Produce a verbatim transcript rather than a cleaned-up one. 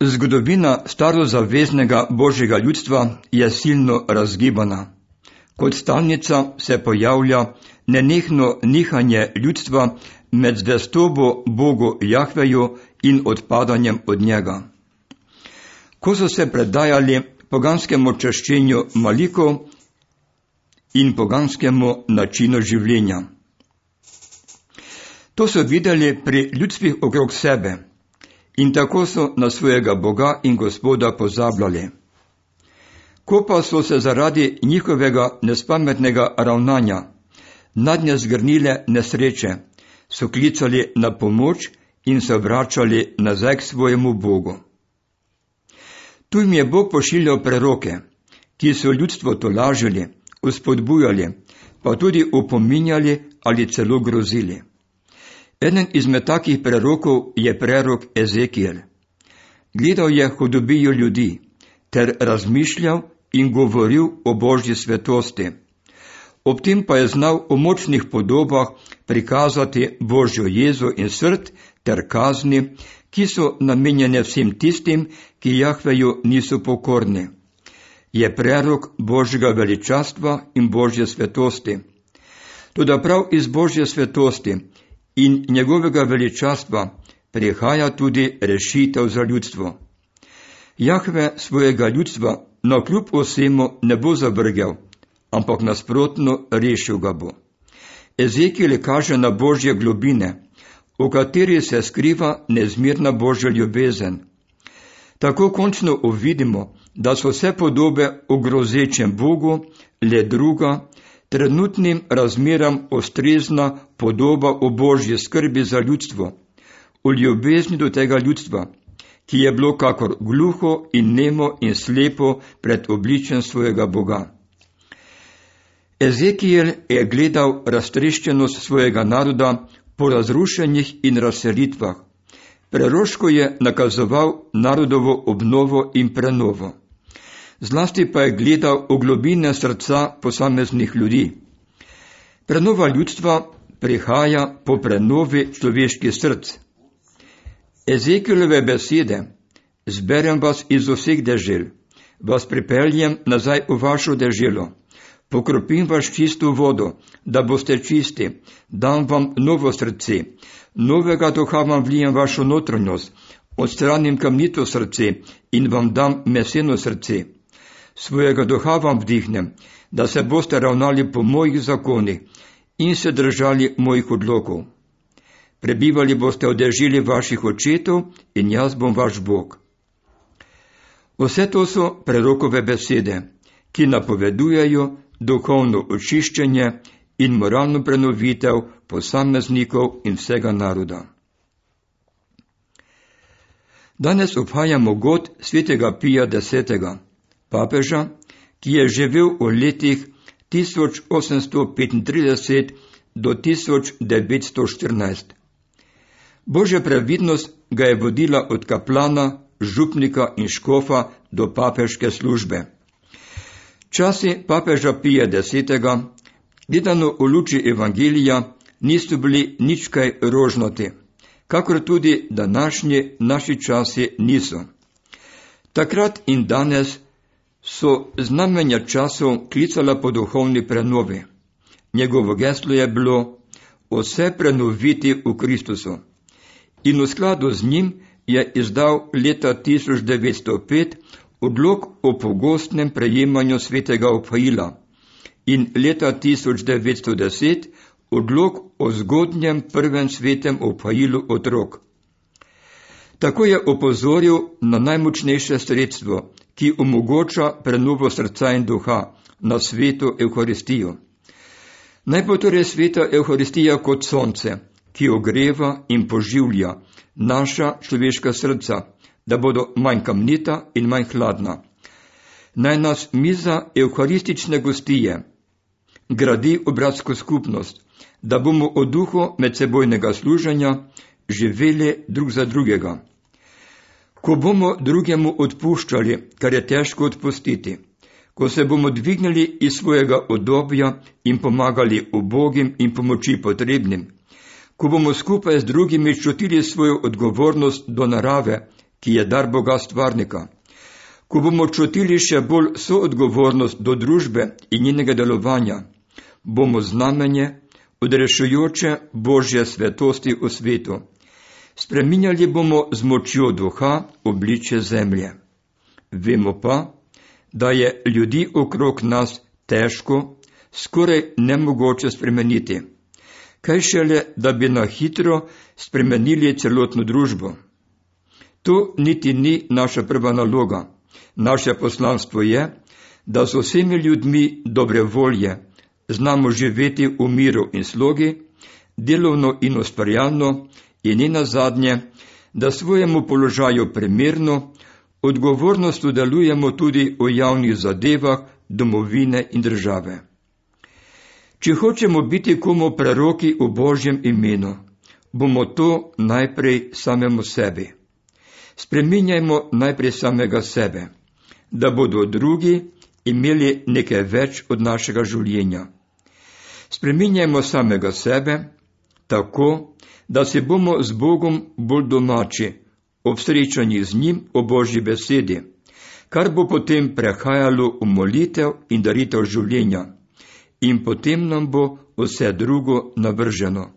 Zgodovina starozaveznega božjega ljudstva je silno razgibana. Kot stalnica se pojavlja nenehno nihanje ljudstva med zvestobo Bogu Jahveju in odpadanjem od njega. Ko so se predajali poganskemu čaščenju malikov in poganskemu načinu življenja. To so videli pri ljudstvih okrog sebe in tako so na svojega Boga in Gospoda pozabljali. Ko pa so se zaradi njihovega nespametnega ravnanja nadnje zgrnile nesreče, so klicali na pomoč in se vračali nazaj k svojemu Bogu. Tu jim je Bog pošiljal preroke, ki so ljudstvo tolažili, uspodbujali, pa tudi opominjali ali celo grozili. Eden izmed takih prerokov je prerok Ezekijel. Gledal je hudobijo ljudi ter razmišljal in govoril o Božji svetosti. Ob tem pa je znal v močnih podobah prikazati Božjo jezo in srd ter kazni, ki so namenjene vsem tistim, ki Jahveju niso pokorni. Je prerok Božjega veličastva in Božje svetosti. Toda prav iz Božje svetosti in njegovega veličastva prihaja tudi rešitev za ljudstvo. Jahve svojega ljudstva navkljub vsemu ne bo zavrgel, ampak nasprotno rešil ga bo. Ezekijel kaže na Božje globine, v kateri se skriva nezmirna Božja ljubezen. Tako končno uvidimo, da so vse podobe o grozečem Bogu le druga, trenutnim razmeram ustrezna podoba o Božji skrbi za ljudstvo, o ljubezni do tega ljudstva, ki je bilo kakor gluho in nemo in slepo pred obličjem svojega Boga. Ezekijel je gledal raztreščenost svojega naroda po razrušenjih in razselitvah. Preroško je nakazoval narodovo obnovo in prenovo. Zlasti pa je gledal v globine srca posameznih ljudi. Prenova ljudstva prihaja po prenovi človeških src. Ezekijelove besede: zberem vas iz vseh dežel, vas pripeljem nazaj v vašo deželo, pokropim vas čisto vodo, da boste čisti, dam vam novo srce, novega duha vam vlijem vašo notranjost, odstranim kamnito srce in vam dam meseno srce. Svojega duha vam vdihnem, da se boste ravnali po mojih zakonih in se držali mojih odlokov. Prebivali boste v deželi vaših očetov in jaz bom vaš Bog. Vse to so prerokove besede, ki napovedujejo duhovno očiščenje in moralno prenovitev posameznikov in vsega naroda. Danes obhajamo god svetega Pija desetega, papeža, ki je živel v letih tisoč osemsto petintrideset do tisoč devetsto štirinajst. Božja previdnost ga je vodila od kaplana, župnika in škofa do papeške službe. Časi papeža Pija desetega, gledano v luči evangelija, niso bili nič kaj rožnati, kakor tudi današnji naši časi niso. Takrat in danes so znamenja časov klicala po duhovni prenovi. Njegovo geslo je bilo vse prenoviti v Kristusu. In v skladu z njim je izdal leta tisoč devetsto pet odlok o pogostnem prejemanju svetega obhajila in leta tisoč devetsto deset odlok o zgodnjem prvem svetem obhajilu otrok. Tako je opozoril na najmočnejše sredstvo, ki omogoča prenovo srca in duha, na sveto Evharistijo. Naj bo torej sveta Evharistija kot sonce, ki ogreva in poživlja naša človeška srca, da bodo manj kamnita in manj hladna. Naj nas miza evharistične gostije gradi v bratsko skupnost, da bomo v duhu medsebojnega služenja živeli drug za drugega. Ko bomo drugemu odpuščali, kar je težko odpustiti, ko se bomo dvignili iz svojega udobja in pomagali ubogim in pomoči potrebnim, ko bomo skupaj z drugimi čutili svojo odgovornost do narave, ki je dar Boga stvarnika. Ko bomo čutili še bolj soodgovornost do družbe in njenega delovanja, bomo znamenje odrešujoče Božje svetosti v svetu. Spreminjali bomo z močjo duha obličje zemlje. Vemo pa, da je ljudi okrog nas težko, skoraj nemogoče spremeniti. Kaj šele, da bi na hitro spremenili celotno družbo. To niti ni naša prva naloga. Naše poslanstvo je, da z vsemi ljudmi dobre volje znamo živeti v miru in slogi, delovno in ustvarjalno in ne nazadnje, da svojemu položaju primerno, odgovornost delujemo tudi v javnih zadevah domovine in države. Če hočemo biti komu preroki v Božjem imenu, bomo to najprej samemu sebi. Spreminjajmo najprej samega sebe, da bodo drugi imeli nekaj več od našega življenja. Spreminjajmo samega sebe tako, da se bomo z Bogom bolj domači, ob srečanjih z njim o Božji besedi, kar bo potem prehajalo v molitev in daritev življenja, in potem nam bo vse drugo navrženo.